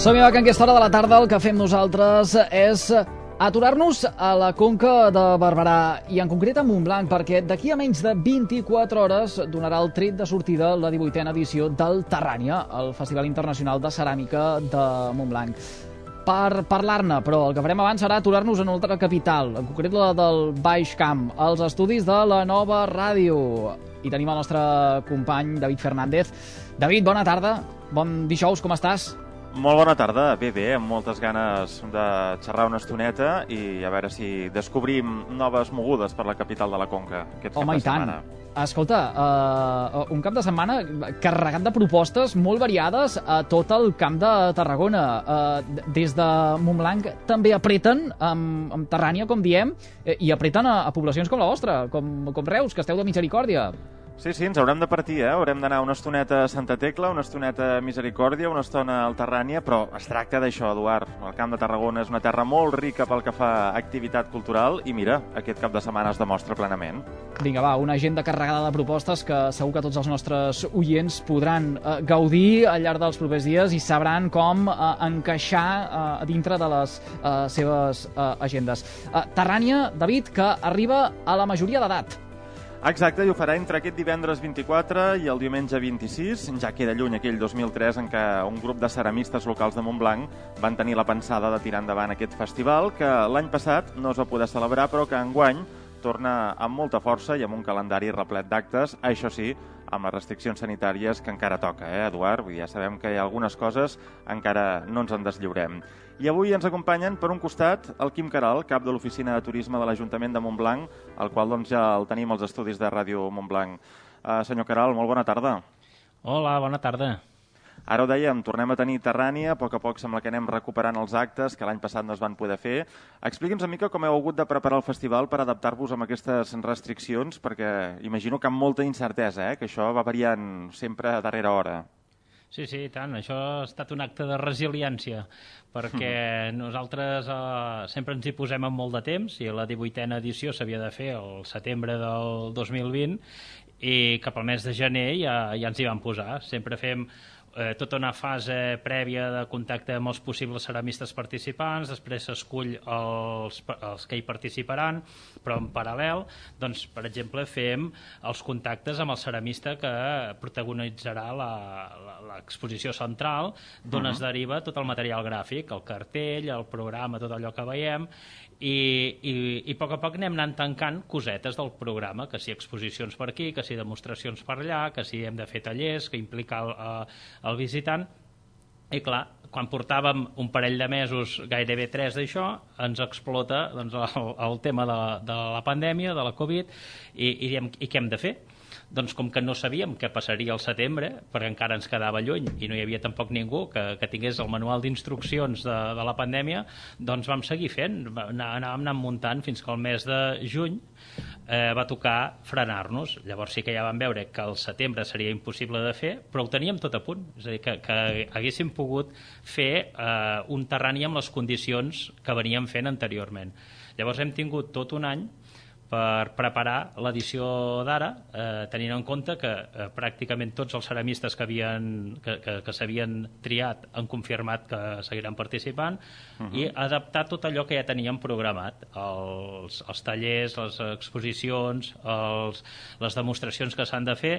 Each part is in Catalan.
Som-hi, que en aquesta hora de la tarda el que fem nosaltres és aturar-nos a la Conca de Barberà i en concret a Montblanc, perquè d'aquí a menys de 24 hores donarà el tret de sortida la 18a edició del Terrània, el Festival Internacional de Ceràmica de Montblanc. Per parlar-ne, però el que farem abans serà aturar-nos en una altra capital, en concret la del Baix Camp, als estudis de la Nova Ràdio. I tenim el nostre company David Fernández. David, bona tarda, bon dijous, com estàs? Molt bona tarda, bé, amb moltes ganes de xerrar una estoneta i a veure si descobrim noves mogudes per la capital de la Conca aquest cap de setmana. Escolta, un cap de setmana carregat de propostes molt variades a tot el Camp de Tarragona. Des de Montblanc també apreten amb Terrània, com diem, i apreten a poblacions com la vostra, com Reus, que esteu de Misericòrdia. Sí, ens haurem de partir, haurem d'anar una estoneta a Santa Tecla, una estoneta a Misericòrdia, una estona al Terrània, però es tracta d'això, Eduard. El Camp de Tarragona és una terra molt rica pel que fa a activitat cultural i mira, aquest cap de setmana es demostra plenament. Vinga, va, una agenda carregada de propostes que segur que tots els nostres oients podran gaudir al llarg dels propers dies i sabran com encaixar dintre de les seves agendes. Terrània, David, que arriba a la majoria d'edat. Exacte, i ho farà entre aquest divendres 24 i el diumenge 26. Ja queda lluny aquell 2003 en què un grup de ceramistes locals de Montblanc van tenir la pensada de tirar endavant aquest festival, que l'any passat no es va poder celebrar, però que enguany torna amb molta força i amb un calendari replet d'actes, això sí, amb les restriccions sanitàries que encara toca, Eduard? Vull dir, ja sabem que hi ha algunes coses encara no ens en deslliurem. I avui ens acompanyen, per un costat, el Quim Queralt, cap de l'Oficina de Turisme de l'Ajuntament de Montblanc, el qual ja el tenim als estudis de Ràdio Montblanc. Senyor Queralt, molt bona tarda. Hola, bona tarda. Ara ho dèiem, tornem a tenir Terrània, a poc sembla que anem recuperant els actes que l'any passat no es van poder fer. Expliqui'ns una mica com heu hagut de preparar el festival per adaptar-vos a aquestes restriccions, perquè imagino que amb molta incertesa, que això va variant sempre a darrera hora. Sí, i tant. Això ha estat un acte de resiliència, perquè nosaltres sempre ens hi posem amb molt de temps i la 18a edició s'havia de fer el setembre del 2020 i cap al mes de gener ja ens hi vam posar. Sempre fem tota una fase prèvia de contacte amb els possibles ceramistes participants, després s'escull els que hi participaran, però en paral·lel, doncs, per exemple, fem els contactes amb el ceramista que protagonitzarà l'exposició central, d'on es deriva tot el material gràfic, el cartell, el programa, tot allò que veiem, i a poc anem anant tancant cosetes del programa, que si exposicions per aquí, que si demostracions per allà, que si hem de fer tallers, que implica el visitant. I clar, quan portàvem un parell de mesos, gairebé 3 d'això, ens explota el tema de la pandèmia, de la Covid, i diem, i què hem de fer? Doncs com que no sabíem què passaria al setembre, perquè encara ens quedava lluny i no hi havia tampoc ningú que tingués el manual d'instruccions de la pandèmia, doncs vam seguir fent, anàvem muntant fins que el mes de juny va tocar frenar-nos. Llavors sí que ja vam veure que al setembre seria impossible de fer, però ho teníem tot a punt, és a dir, que haguéssim pogut fer un Terrània amb les condicions que veníem fent anteriorment. Llavors hem tingut tot un any per preparar l'edició d'ara, tenint en compte que pràcticament tots els ceramistes que s'havien triat han confirmat que seguiran participant i adaptar tot allò que ja teníem programat, els tallers, les exposicions, les demostracions que s'han de fer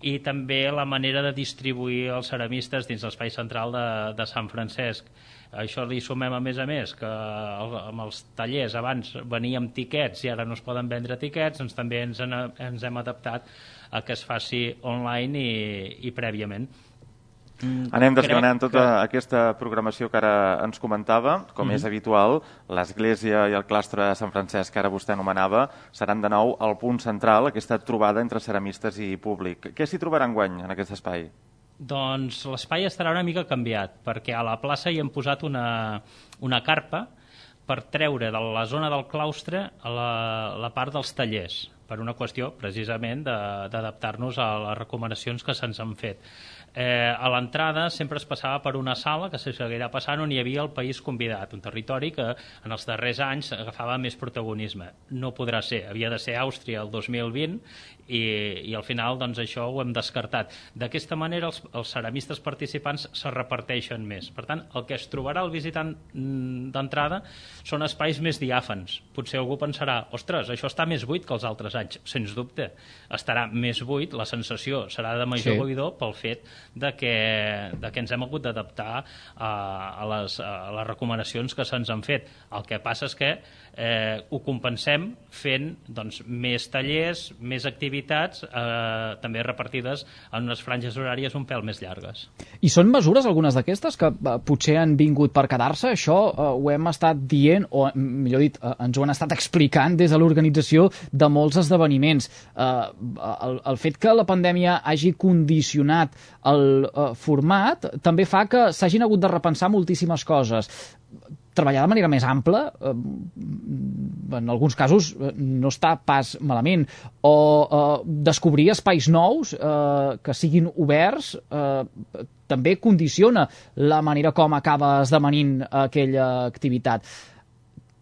i també la manera de distribuir els ceramistes dins l'espai central de Sant Francesc. Això li sumem a més que amb els tallers abans veníem tiquets i ara no es poden vendre tiquets, doncs també ens hem adaptat a que es faci online i prèviament. Anem desgranant tota aquesta programació que ara ens comentava. Com és habitual, l'església i el claustre de Sant Francesc, que ara vostè anomenava, seran de nou el punt central, aquesta trobada entre ceramistes i públic. Què s'hi trobarà enguany en aquest espai? Doncs l'espai estarà una mica canviat, perquè a la plaça hi hem posat una carpa per treure de la zona del claustre la part dels tallers, per una qüestió, precisament, d'adaptar-nos a les recomanacions que se'ns han fet. A l'entrada sempre es passava per una sala que se seguirà passant on hi havia el país convidat, un territori que en els darrers anys agafava més protagonisme. No podrà ser, havia de ser Àustria el 2020 i al final doncs, això ho hem descartat. D'aquesta manera els ceramistes participants se reparteixen més. Per tant, el que es trobarà el visitant d'entrada són espais més diàfans. Potser algú pensarà, ostres, això està més buit que els altres anys. Sens dubte, estarà més buit, la sensació serà de major buidor pel fet de que ens hem hagut d'adaptar a les recomanacions que se'ns han fet. El que passa és que ho compensem fent doncs, més tallers, més activitats, també repartides en unes franges horàries un pèl més llargues. I són mesures, algunes d'aquestes, que potser han vingut per quedar-se? Això ho hem estat dient, o millor dit, ens ho han estat explicant des de l'organització de molts esdeveniments. El fet que la pandèmia hagi condicionat el format també fa que s'hagin hagut de repensar moltíssimes coses. Treballar de manera més ampla, en alguns casos no està pas malament, o descobrir espais nous que siguin oberts també condiciona la manera com acaba esdevenint aquella activitat.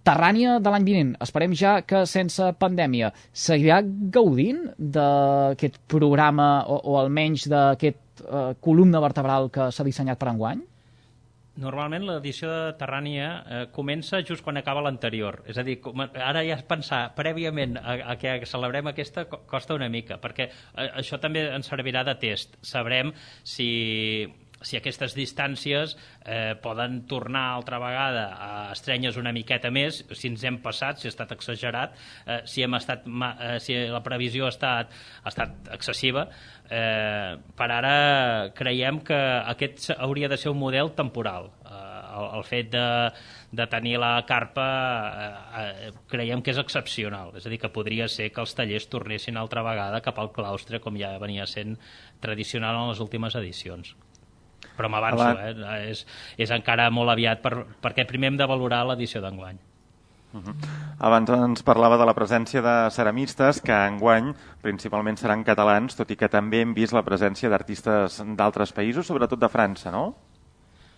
Terrània de l'any vinent, esperem ja que sense pandèmia seguirà gaudint d'aquest programa o almenys d'aquest columna vertebral que s'ha dissenyat per enguany? Normalment l'edició de Terrània comença just quan acaba l'anterior. És a dir, ara ja pensar prèviament a que celebrem aquesta costa una mica, perquè això també ens servirà de test. Sabrem si aquestes distàncies poden tornar altra vegada a estrenyes una miqueta més, si ens hem passat, si ha estat exagerat, si la previsió ha estat excessiva. Per ara creiem que aquest hauria de ser un model temporal. El fet de tenir la carpa creiem que és excepcional, és a dir, que podria ser que els tallers tornessin altra vegada cap al claustre, com ja venia sent tradicional en les últimes edicions. Però m'avanço, és encara molt aviat perquè primer hem de valorar l'edició d'enguany. Abans ens parlava de la presència de ceramistes, que enguany principalment seran catalans, tot i que també hem vist la presència d'artistes d'altres països, sobretot de França, no?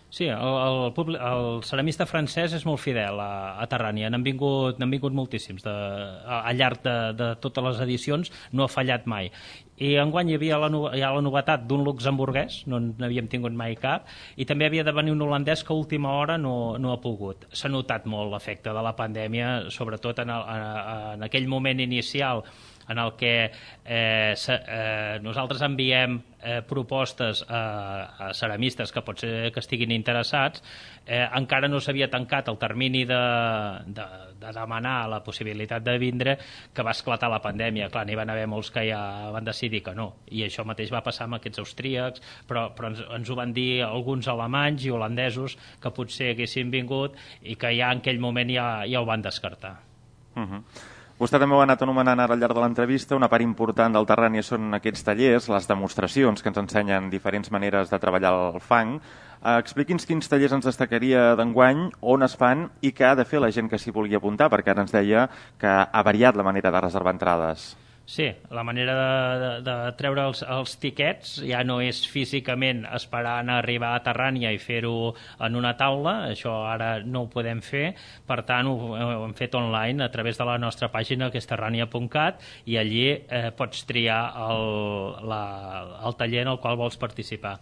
Sí, el ceramista francès és molt fidel a Terrània. N'han vingut moltíssims. Al llarg de totes les edicions no ha fallat mai. I enguany hi havia la novetat d'un luxemburguès, no n'havíem tingut mai cap, i també havia de venir un holandès que a última hora no ha pogut. S'ha notat molt l'efecte de la pandèmia, sobretot en aquell moment inicial en el que nosaltres enviem propostes a ceramistes que pot ser que estiguin interessats. Encara no s'havia tancat el termini de demanar la possibilitat de vindre, que va esclatar la pandèmia. Clar, n'hi van haver molts que ja van decidir que no, i això mateix va passar amb aquests austríacs, però ens ho van dir alguns alemanys i holandesos que potser haguessin vingut i que ja en aquell moment ja ho van descartar. Vostè també ho ha anat anomenant ara al llarg de l'entrevista. Una part important del Terrània són aquests tallers, les demostracions que ens ensenyen diferents maneres de treballar el fang. Expliqui'ns quins tallers ens destacaria d'enguany, on es fan i què ha de fer la gent que s'hi vulgui apuntar, perquè ara ens deia que ha variat la manera de reservar entrades. Sí, la manera de treure els tiquets ja no és físicament esperant a arribar a Terrània i fer-ho en una taula, això ara no ho podem fer, per tant ho hem fet online a través de la nostra pàgina, que és terrania.cat, i allí pots triar el taller en el qual vols participar.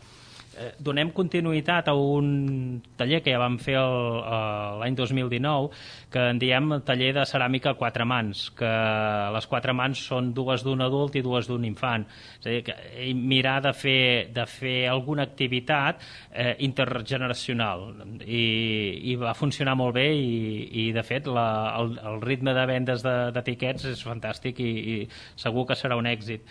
Donem continuïtat a un taller que ja vam fer l'any 2019, que en diem taller de ceràmica a 4 mans, que les 4 mans són 2 d'un adult i 2 d'un infant. És a dir, que mirar de fer alguna activitat intergeneracional, i va funcionar molt bé, i de fet el ritme de vendes de tiquets és fantàstic i segur que serà un èxit.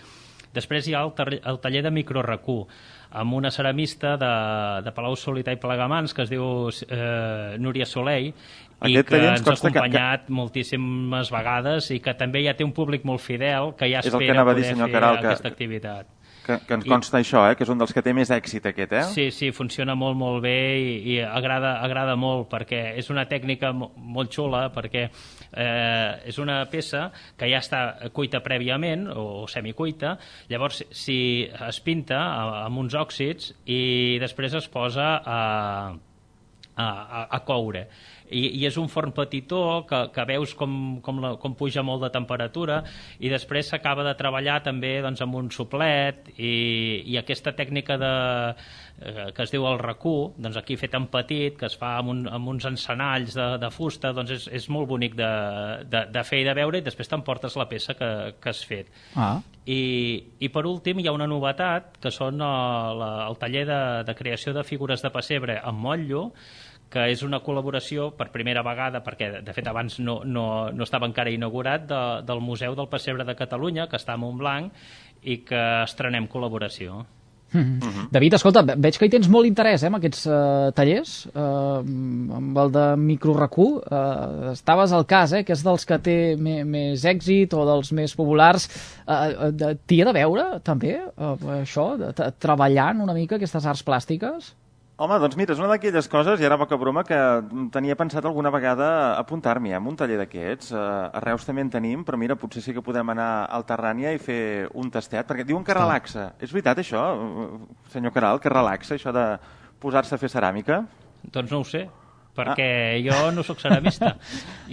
Després hi ha el taller de microracú, amb una ceramista de Palau-solità i Plegamans, que es diu Núria Soleil, i que ens ha acompanyat moltíssimes vegades i que també ja té un públic molt fidel que ja espera poder fer aquesta activitat. Que ens consta això, que és un dels que té més èxit aquest, Sí, funciona molt bé i agrada molt, perquè és una tècnica molt xula, perquè és una peça que ja està cuita prèviament o semicuita, llavors si es pinta amb uns òxids i després es posa a coure. I és un forn petitó que veus com puja molt de temperatura i després s'acaba de treballar també doncs, amb un soplet i aquesta tècnica que es diu el racú, doncs aquí fet en petit, que es fa amb uns encenalls de fusta, doncs és molt bonic de fer i de veure, i després t'emportes la peça que has fet. I per últim hi ha una novetat, que són el taller de creació de figures de pessebre amb motllo, que és una col·laboració per primera vegada, perquè de fet abans no estava encara inaugurat, del Museu del Pessebre de Catalunya, que està a Montblanc, i que estrenem col·laboració. David, escolta, veig que hi tens molt interès en aquests tallers, amb el de microracú. Estaves al cas, que és dels que té més èxit o dels més populars. T'hi ha de veure, també, això, treballant una mica aquestes arts plàstiques? Home, doncs mira, és una d'aquelles coses, i ara poca broma, que tenia pensat alguna vegada apuntar-m'hi a un taller d'aquests. A Reus també en tenim, però mira, potser sí que podem anar al Terrània i fer un tastet, perquè diuen que relaxa. És veritat això, senyor Caral, que relaxa això de posar-se a fer ceràmica? Doncs no ho sé, perquè jo no sóc ceramista.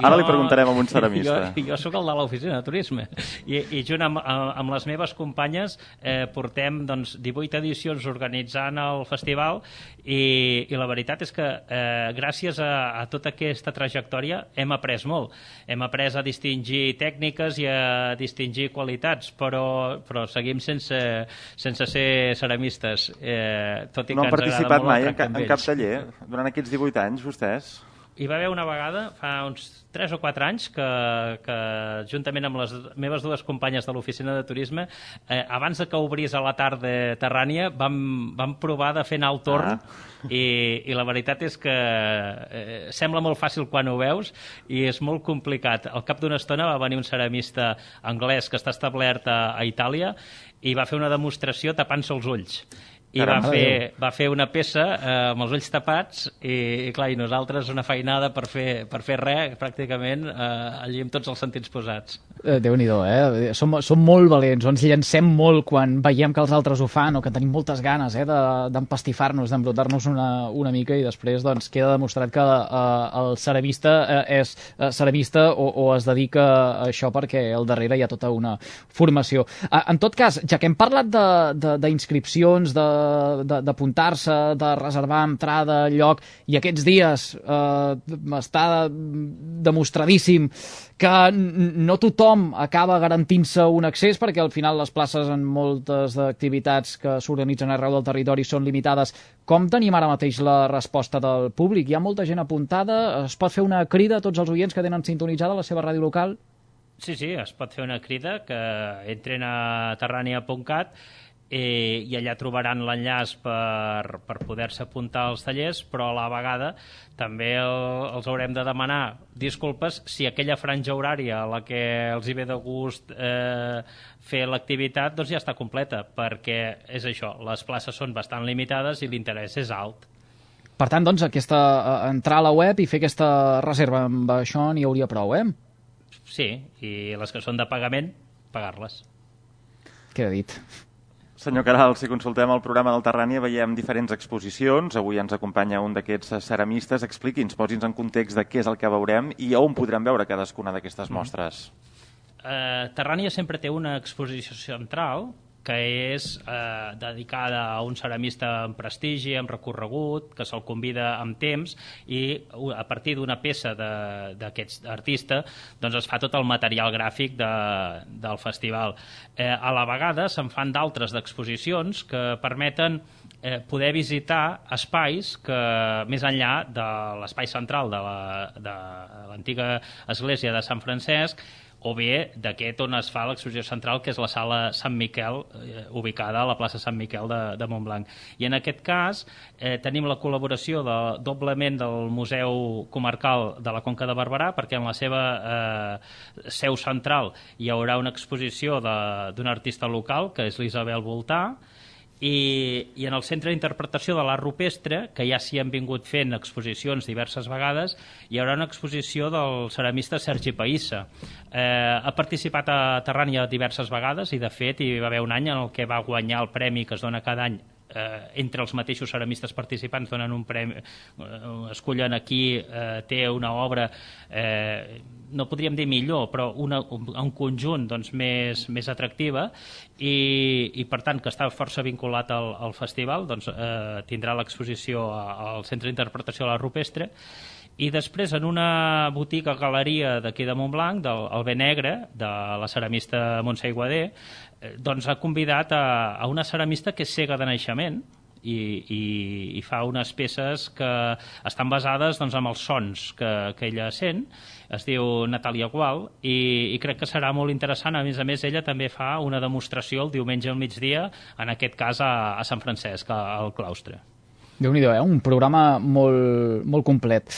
Ara li preguntarem a un ceramista. Jo sóc el de l'oficina de turisme i junt amb les meves companyes portem 18 edicions organitzant el festival i la veritat és que gràcies a tota aquesta trajectòria hem après molt. Hem après a distingir tècniques i a distingir qualitats, però seguim sense ser ceramistes, tot i que ens agrada molt el tracte amb ells. No han participat mai en cap taller durant aquests 18 anys, vostès? Hi va haver una vegada, fa uns 3 o 4 anys, que juntament amb les meves dues companyes de l'oficina de turisme, abans que obrís a la tarda Terrània, vam provar de fer anar el torn i la veritat és que sembla molt fàcil quan ho veus i és molt complicat. Al cap d'una estona va venir un ceramista anglès que està establert a Itàlia i va fer una demostració tapant-se els ulls. I va fer una peça amb els ulls tapats i clar, i nosaltres una feinada per fer res, pràcticament allí amb tots els sentits posats. Déu-n'hi-do, Som molt valents, ens llancem molt quan veiem que els altres ho fan o que tenim moltes ganes d'empastifar-nos, d'embrutar-nos una mica i després queda demostrat que el ceramista és ceramista o es dedica a això perquè al darrere hi ha tota una formació. En tot cas, ja que hem parlat d'inscripcions, d'apuntar-se, de reservar entrada, lloc, i aquests dies està demostradíssim que no tothom acaba garantint-se un accés perquè al final les places en moltes activitats que s'organitzen arreu del territori són limitades. Com tenim ara mateix la resposta del públic? Hi ha molta gent apuntada? Es pot fer una crida a tots els oients que tenen sintonitzada la seva ràdio local? Sí, es pot fer una crida, que entren a terrania.cat i allà trobaran l'enllaç per poder-se apuntar als tallers, però a la vegada també els haurem de demanar disculpes si aquella franja horària a la que els hi ve de gust fer l'activitat ja està completa, perquè és això, les places són bastant limitades i l'interès és alt. Per tant, entrar a la web i fer aquesta reserva, amb això n'hi hauria prou, Sí, i les que són de pagament, pagar-les. Queda dit. Senyor Caral, si consultem el programa del Terrània veiem diferents exposicions. Avui ens acompanya un d'aquests ceramistes. Expliqui'ns, posi'ns en context de què és el que veurem i on podrem veure cadascuna d'aquestes mostres. Terrània sempre té una exposició central que és dedicada a un ceramista amb prestigi, amb recorregut, que se'l convida amb temps i a partir d'una peça d'aquest artista es fa tot el material gràfic del festival. A la vegada se'n fan d'altres d'exposicions que permeten poder visitar espais que, més enllà de l'espai central de l'antiga església de Sant Francesc, o bé d'aquest on es fa l'exposició central, que és la sala Sant Miquel, ubicada a la plaça Sant Miquel de Montblanc. I en aquest cas tenim la col·laboració doblement del Museu Comarcal de la Conca de Barberà, perquè en la seva seu central hi haurà una exposició d'un artista local, que és l'Isabel Voltà, i en el Centre d'Interpretació de l'Art Rupestre, que ja s'hi han vingut fent exposicions diverses vegades, hi haurà una exposició del ceramista Sergi Païssa. Ha participat a Terrània diverses vegades i, de fet, hi va haver un any en el que va guanyar el premi que es dona cada any entre els mateixos ceramistes participants, donen un premi, escollen a qui té una obra, no podríem dir millor, però un conjunt doncs, més atractiva i per tant que està força vinculat al festival, doncs, tindrà l'exposició al Centre d'Interpretació de l'Art Rupestre. I després, en una botiga galeria d'aquí de Montblanc, del Bé Negre, de la ceramista Montse Aiguader, doncs ha convidat a una ceramista que és cega de naixement i fa unes peces que estan basades doncs, en els sons que ella sent. Es diu Natàlia Gual i crec que serà molt interessant. A més, ella també fa una demostració el diumenge al migdia, en aquest cas a Sant Francesc, al claustre. Déu-n'hi-do, un programa molt complet.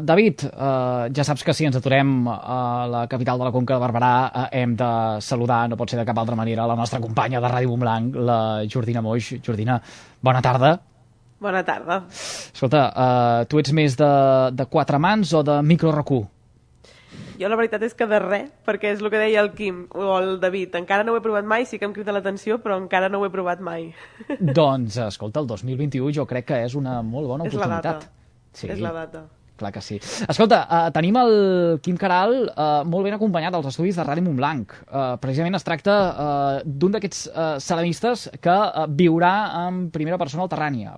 David, ja saps que si ens aturem a la capital de la Conca de Barberà hem de saludar, no pot ser de cap altra manera, la nostra companya de Ràdio Montblanc, la Jordina Moix. Jordina, bona tarda. Bona tarda. Escolta, tu ets més de quatre mans o de micro-RQ? Jo la veritat és que de res, perquè és el que deia el Quim o el David. Encara no ho he provat mai, sí que em crida l'atenció, però encara no ho he provat mai. Doncs, escolta, el 2021 jo crec que és una molt bona oportunitat. Sí. És la data. Clar que sí. Escolta, tenim el Quim Caral molt ben acompanyat als estudis de Ràdio Montblanc. Precisament es tracta d'un d'aquests ceramistes que viurà en primera persona al Terrània.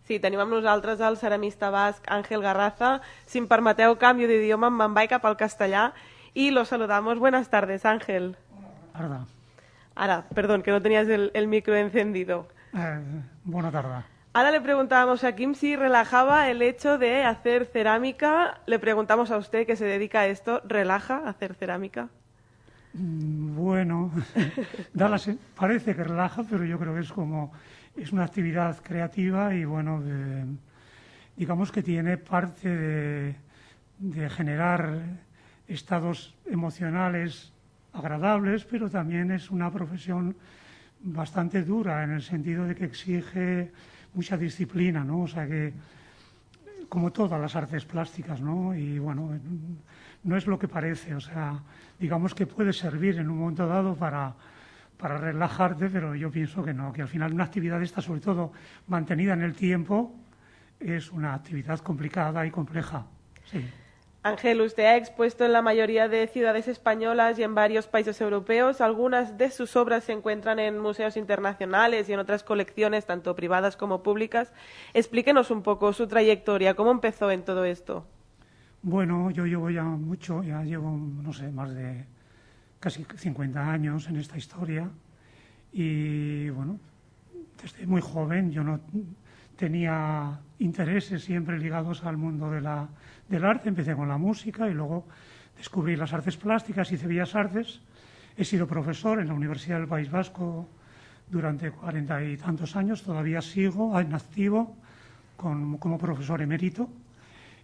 Sí, tenim amb nosaltres el ceramista basc Ángel Garraza. Si em permeteu, canvio d'idioma, me'n vaig cap al castellà y lo saludamos. Buenas tardes, Ángel. Ahora, perdón, que no tenías el micro encendido. Buena tarde. Ahora le preguntábamos a Kim si relajaba el hecho de hacer cerámica. Le preguntamos a usted, que se dedica a esto, ¿relaja hacer cerámica? Bueno, parece que relaja, pero yo creo que es una actividad creativa y bueno, digamos que tiene parte de generar estados emocionales agradables, pero también es una profesión bastante dura en el sentido de que exige mucha disciplina, ¿no? O sea que, como todas las artes plásticas, ¿no? Y bueno, no es lo que parece, o sea, digamos que puede servir en un momento dado para relajarte, pero yo pienso que no, que al final una actividad esta, sobre todo mantenida en el tiempo, es una actividad complicada y compleja. Sí. Ángel, usted ha expuesto en la mayoría de ciudades españolas y en varios países europeos. Algunas de sus obras se encuentran en museos internacionales y en otras colecciones, tanto privadas como públicas. Explíquenos un poco su trayectoria, ¿cómo empezó en todo esto? Bueno, yo llevo ya llevo, no sé, más de casi 50 años en esta historia y bueno, desde muy joven yo no tenía intereses siempre ligados al mundo del arte. Empecé con la música y luego descubrí las artes plásticas, hice Bellas Artes. He sido profesor en la Universidad del País Vasco durante 40 y tantos años. Todavía sigo en activo como profesor emérito.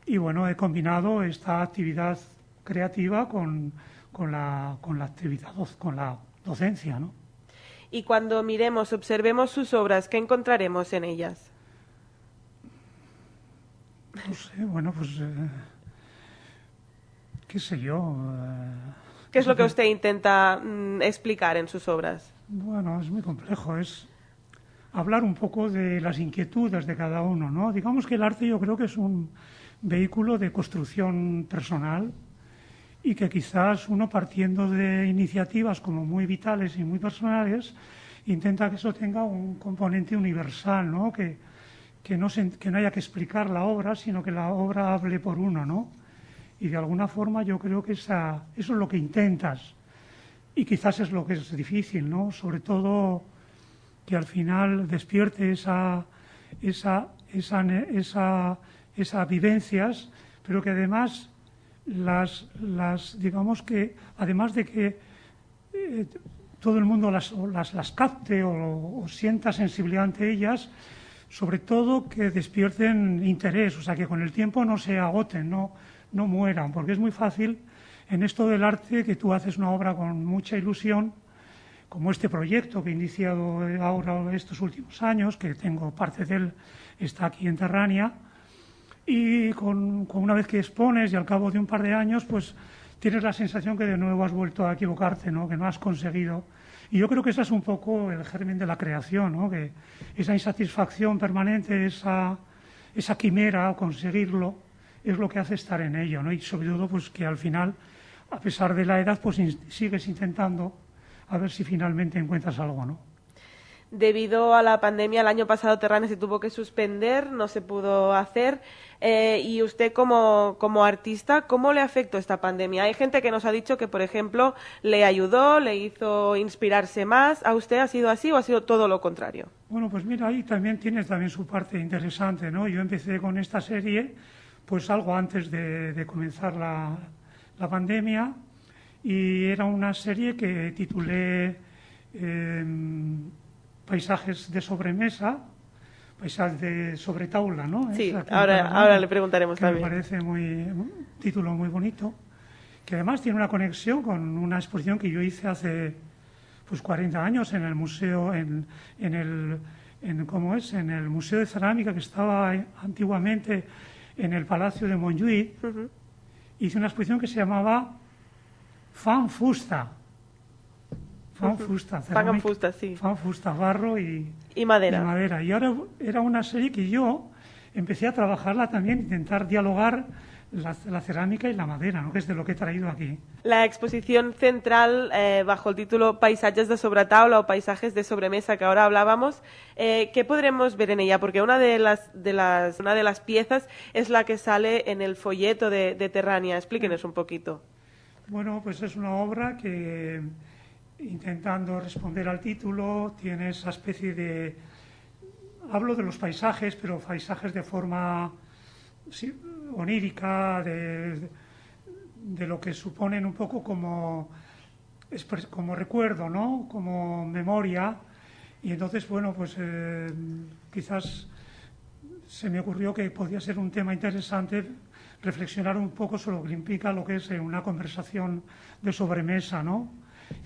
Y bueno, he combinado esta actividad creativa con la docencia, ¿no? Y cuando observemos sus obras, ¿qué encontraremos en ellas? No sé, bueno, pues qué sé yo. ¿Qué es lo que usted intenta explicar en sus obras? Bueno, es muy complejo, es hablar un poco de las inquietudes de cada uno, ¿no? Digamos que el arte yo creo que es un vehículo de construcción personal y que quizás uno, partiendo de iniciativas como muy vitales y muy personales, intenta que eso tenga un componente universal, ¿no? Que no haya que explicar la obra, sino que la obra hable por uno, ¿no? Y de alguna forma yo creo que eso es lo que intentas. Y quizás es lo que es difícil, ¿no? Sobre todo que al final despierte esas vivencias, pero que además digamos que además de que todo el mundo las capte o sienta sensibilidad ante ellas, sobre todo que despierten interés, o sea, que con el tiempo no se agoten, no mueran, porque es muy fácil en esto del arte que tú haces una obra con mucha ilusión, como este proyecto que he iniciado ahora estos últimos años, que tengo parte de él, está aquí en Terrania, y con una vez que expones y al cabo de un par de años, pues tienes la sensación que de nuevo has vuelto a equivocarte, ¿no? Que no has conseguido. Y yo creo que ese es un poco el germen de la creación, ¿no? Que esa insatisfacción permanente, esa quimera, conseguirlo, es lo que hace estar en ello, ¿no? Y sobre todo, pues que al final, a pesar de la edad, pues sigues intentando a ver si finalmente encuentras algo, ¿no? Debido a la pandemia, el año pasado Terrania se tuvo que suspender, no se pudo hacer. Y usted como artista, ¿cómo le afectó esta pandemia? Hay gente que nos ha dicho que, por ejemplo, le ayudó, le hizo inspirarse más. ¿A usted ha sido así o ha sido todo lo contrario? Bueno, pues mira, ahí también tienes su parte interesante, ¿no? Yo empecé con esta serie pues algo antes de comenzar la pandemia, y era una serie que titulé Paisajes de sobremesa, paisajes de sobretaula, ¿no? Sí, ahora le preguntaremos que también. Me parece un título muy bonito, que además tiene una conexión con una exposición que yo hice hace pues 40 años en el museo, en el Museo de Cerámica, que estaba antiguamente en el Palacio de Montjuïc. Hice una exposición que se llamaba Fan Fusta. Fan Fusta, sí. Fan Fusta, barro y madera. Y ahora era una serie que yo empecé a trabajarla también, intentar dialogar la cerámica y la madera, ¿no? Que es de lo que he traído aquí. La exposición central, bajo el título Paisajes de sobretaula o Paisajes de sobremesa, que ahora hablábamos, ¿qué podremos ver en ella? Porque una de las piezas es la que sale en el folleto de Terrania. Explíquenos un poquito. Bueno, pues es una obra que, intentando responder al título, tiene esa especie de... Hablo de los paisajes, pero paisajes de forma onírica, de lo que suponen un poco como recuerdo, ¿no? Como memoria. Y entonces, bueno, pues quizás se me ocurrió que podía ser un tema interesante reflexionar un poco sobre lo que implica lo que es una conversación de sobremesa, ¿no?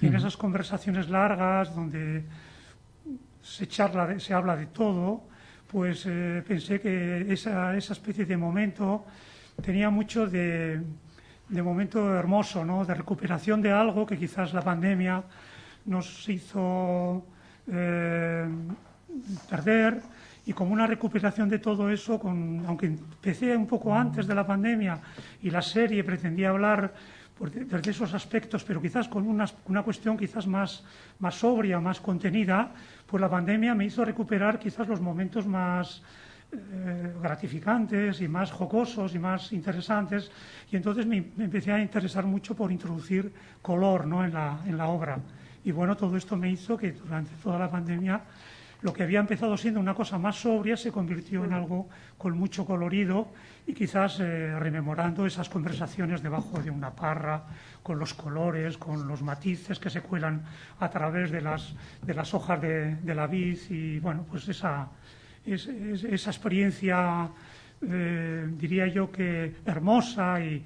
Y en esas conversaciones largas, donde se habla de todo, pues pensé que esa especie de momento tenía mucho de momento hermoso, ¿no? De recuperación de algo que quizás la pandemia nos hizo perder, y como una recuperación de todo eso, aunque empecé un poco antes de la pandemia y la serie pretendía hablar desde esos aspectos, pero quizás con una cuestión quizás más sobria, más contenida, pues la pandemia me hizo recuperar quizás los momentos más gratificantes y más jocosos y más interesantes, y entonces me empecé a interesar mucho por introducir color, ¿no? en la obra. Y bueno, todo esto me hizo que durante toda la pandemia lo que había empezado siendo una cosa más sobria se convirtió en algo con mucho colorido, y quizás rememorando esas conversaciones debajo de una parra, con los colores, con los matices que se cuelan a través de las hojas de la vid, y bueno, pues esa experiencia, diría yo que hermosa y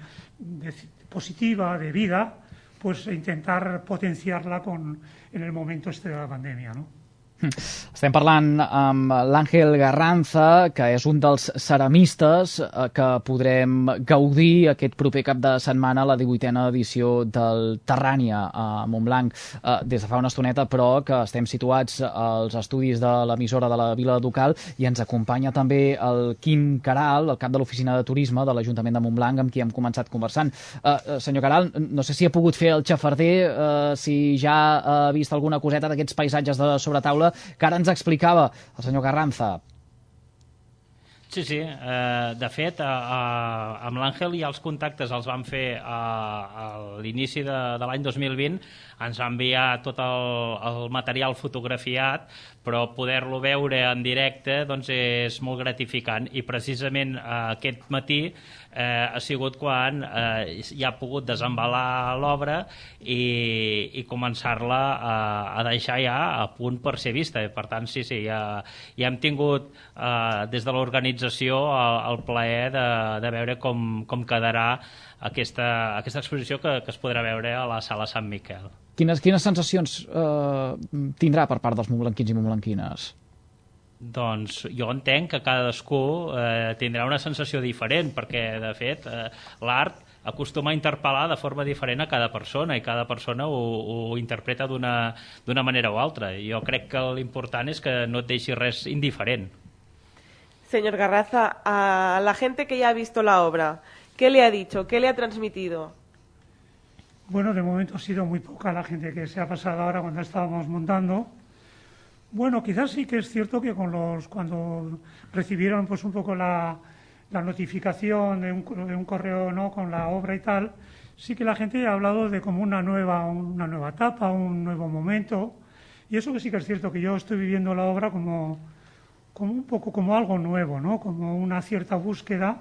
positiva de vida, pues intentar potenciarla en el momento este de la pandemia, ¿no? Estem parlant amb l'Àngel Garranza, que és un dels ceramistes que podrem gaudir aquest proper cap de setmana a la 18a edició del Terrània a Montblanc des de fa una estoneta, però que estem situats als estudis de l'emissora de la Vila Ducal, i ens acompanya també el Quim Caral, el cap de l'Oficina de Turisme de l'Ajuntament de Montblanc, amb qui hem començat conversant. Senyor Caral, no sé si ha pogut fer el xafarder, si ja ha vist alguna coseta d'aquests paisatges de sobretaula que ara ens explicava el senyor Carranza. Sí. De fet, amb l'Àngel ja els contactes els vam fer a l'inici de l'any 2020. Ens va enviar tot el material fotografiat, però poder-lo veure en directe doncs és molt gratificant, i precisament aquest matí ha sigut quan ja ha pogut desembalar l'obra i començar-la a deixar ja a punt per ser vista. Per tant, sí, ja hem tingut des de l'organització el plaer de veure com quedarà aquesta exposició que es podrà veure a la Sala Sant Miquel. Quines sensacions tindrà per part dels montblanquins i montblanquines? Doncs jo entenc que cadascú tindrà una sensació diferent, perquè, de fet, l'art acostuma a interpel·lar de forma diferent a cada persona i cada persona ho interpreta d'una manera o altra. Jo crec que l'important és que no et deixi res indiferent. Señor Garraza, a la gente que ya ha visto la obra, ¿qué le ha dicho? ¿Qué le ha transmitido? Bueno, de momento ha sido muy poca la gente que se ha pasado ahora cuando estábamos montando. Bueno, quizás sí que es cierto que cuando recibieron pues un poco la notificación de un correo, ¿no?, con la obra y tal, sí que la gente ha hablado de como una nueva etapa, un nuevo momento. Y eso que sí que es cierto, que yo estoy viviendo la obra como un poco como algo nuevo, ¿no?, como una cierta búsqueda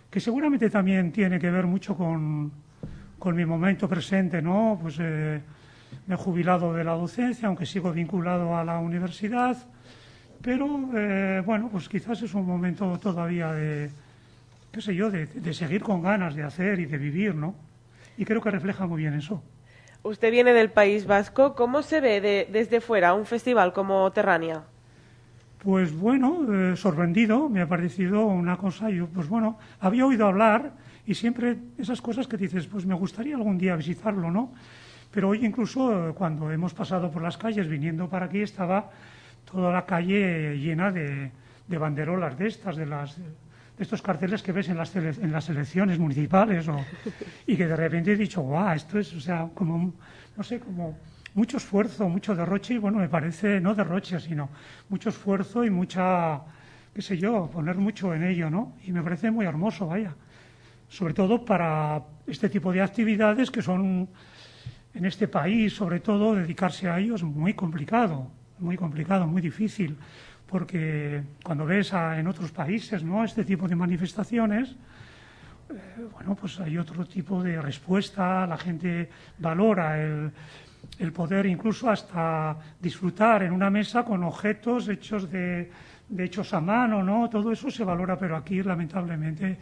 que seguramente también tiene que ver mucho con mi momento presente, ¿no? Pues me he jubilado de la docencia, aunque sigo vinculado a la universidad, pero bueno, pues quizás es un momento todavía de, qué sé yo, de seguir con ganas de hacer y de vivir, ¿no? Y creo que refleja muy bien eso. Usted viene del País Vasco. ¿Cómo se ve desde fuera un festival como Terrania? Pues bueno, sorprendido, me ha parecido una cosa, yo pues bueno, había oído hablar y siempre esas cosas que dices, pues me gustaría algún día visitarlo, ¿no? Pero hoy incluso cuando hemos pasado por las calles viniendo para aquí estaba toda la calle llena de banderolas de estas, de estos carteles que ves en las elecciones municipales y que de repente he dicho, guau, esto es, o sea, como, no sé, como mucho esfuerzo, mucho derroche y bueno, me parece, no derroche, sino mucho esfuerzo y mucha, qué sé yo, poner mucho en ello, ¿no? Y me parece muy hermoso, vaya. Sobre todo para este tipo de actividades que son, en este país, sobre todo, dedicarse a ello es muy complicado, muy difícil. Porque cuando ves en otros países, ¿no?, este tipo de manifestaciones, bueno, pues hay otro tipo de respuesta, la gente valora el poder incluso hasta disfrutar en una mesa con objetos hechos a mano, ¿no? Todo eso se valora, pero aquí lamentablemente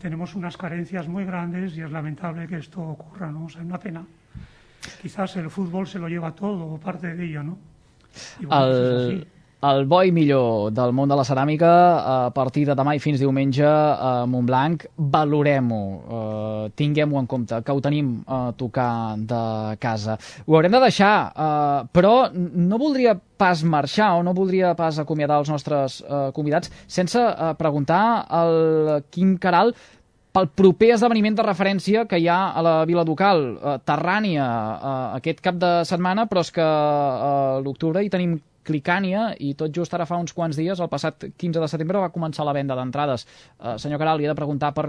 tenemos unas carencias muy grandes y es lamentable que esto ocurra, ¿no? O sea, es una pena. Quizás el fútbol se lo lleva todo o parte de ello, ¿no? I bueno, pues és així. El bo i millor del món de la ceràmica a partir de demà i fins diumenge a Montblanc, valorem-ho, tinguem-ho en compte, que ho tenim a tocar de casa. Ho haurem de deixar, però no voldria pas marxar o no voldria pas acomiadar els nostres convidats sense preguntar al Quim Queralt pel proper esdeveniment de referència que hi ha a la Vila Ducal, Terrània, aquest cap de setmana, però és que a l'octubre hi tenim Clicània i tot just ara fa uns quants dies, el passat 15 de setembre, va començar la venda d'entrades. Senyor Queralt, li he de preguntar per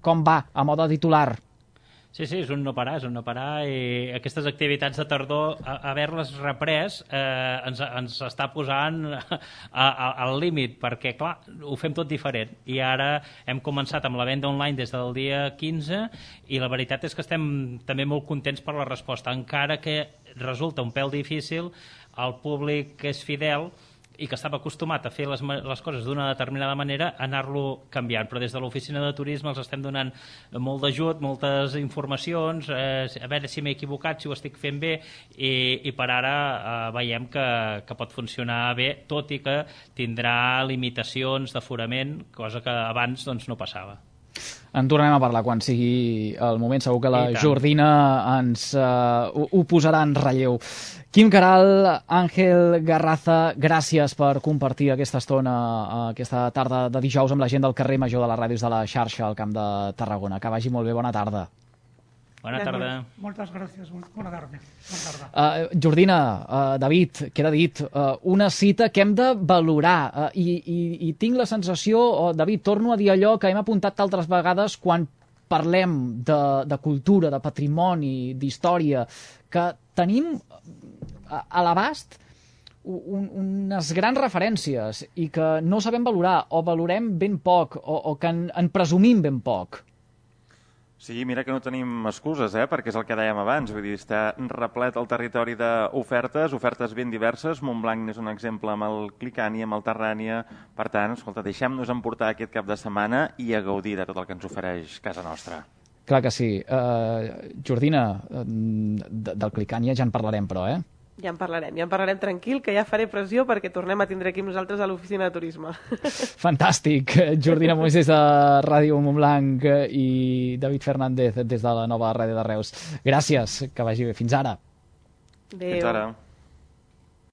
com va a mode titular. Sí, és un no parar i aquestes activitats de tardor, haver-les reprès, ens està posant al límit, perquè, clar, ho fem tot diferent. I ara hem començat amb la venda online des del dia 15 i la veritat és que estem també molt contents per la resposta, encara que resulta un pèl difícil al públic que és fidel i que estava acostumat a fer les coses d'una determinada manera, anar-lo canviant. Però des de l'oficina de turisme els estem donant molt d'ajut, moltes informacions, a veure si m'he equivocat, si ho estic fent bé, i per ara veiem que pot funcionar bé, tot i que tindrà limitacions d'aforament, cosa que abans doncs, no passava. En tornem a parlar quan sigui el moment. Segur que la Jordina ens ho posarà en relleu. Quim Queralt, Àngel Garraza, gràcies per compartir aquesta estona, aquesta tarda de dijous amb la gent del carrer Major de les ràdios de la xarxa al Camp de Tarragona. Que vagi molt bé, bona tarda. Bona tarda. Moltes gràcies, bona tarda. Jordina, David, queda dit, una cita que hem de valorar i tinc la sensació, David, torno a dir allò que hem apuntat altres vegades quan parlem de cultura, de patrimoni, d'història, que tenim a l'abast unes grans referències i que no sabem valorar o valorem ben poc o que en presumim ben poc. Sí, mira que no tenim excuses, perquè és el que dèiem abans, vull dir, està replet el territori d'ofertes, ofertes ben diverses. Montblanc és un exemple amb el Clicània, amb el Terrània. Per tant, escolta, deixem-nos emportar aquest cap de setmana i a gaudir de tot el que ens ofereix casa nostra. Clar que sí. Jordina, del Clicània ja en parlarem, però, Ja en parlarem tranquil, que ja faré pressió perquè tornem a tindre aquí amb nosaltres a l'oficina de turisme. Fantàstic. Jordina Moisés de Ràdio Montblanc i David Fernández des de la nova ràdio de Reus. Gràcies, que vagi bé. Fins ara. Adéu. Fins ara.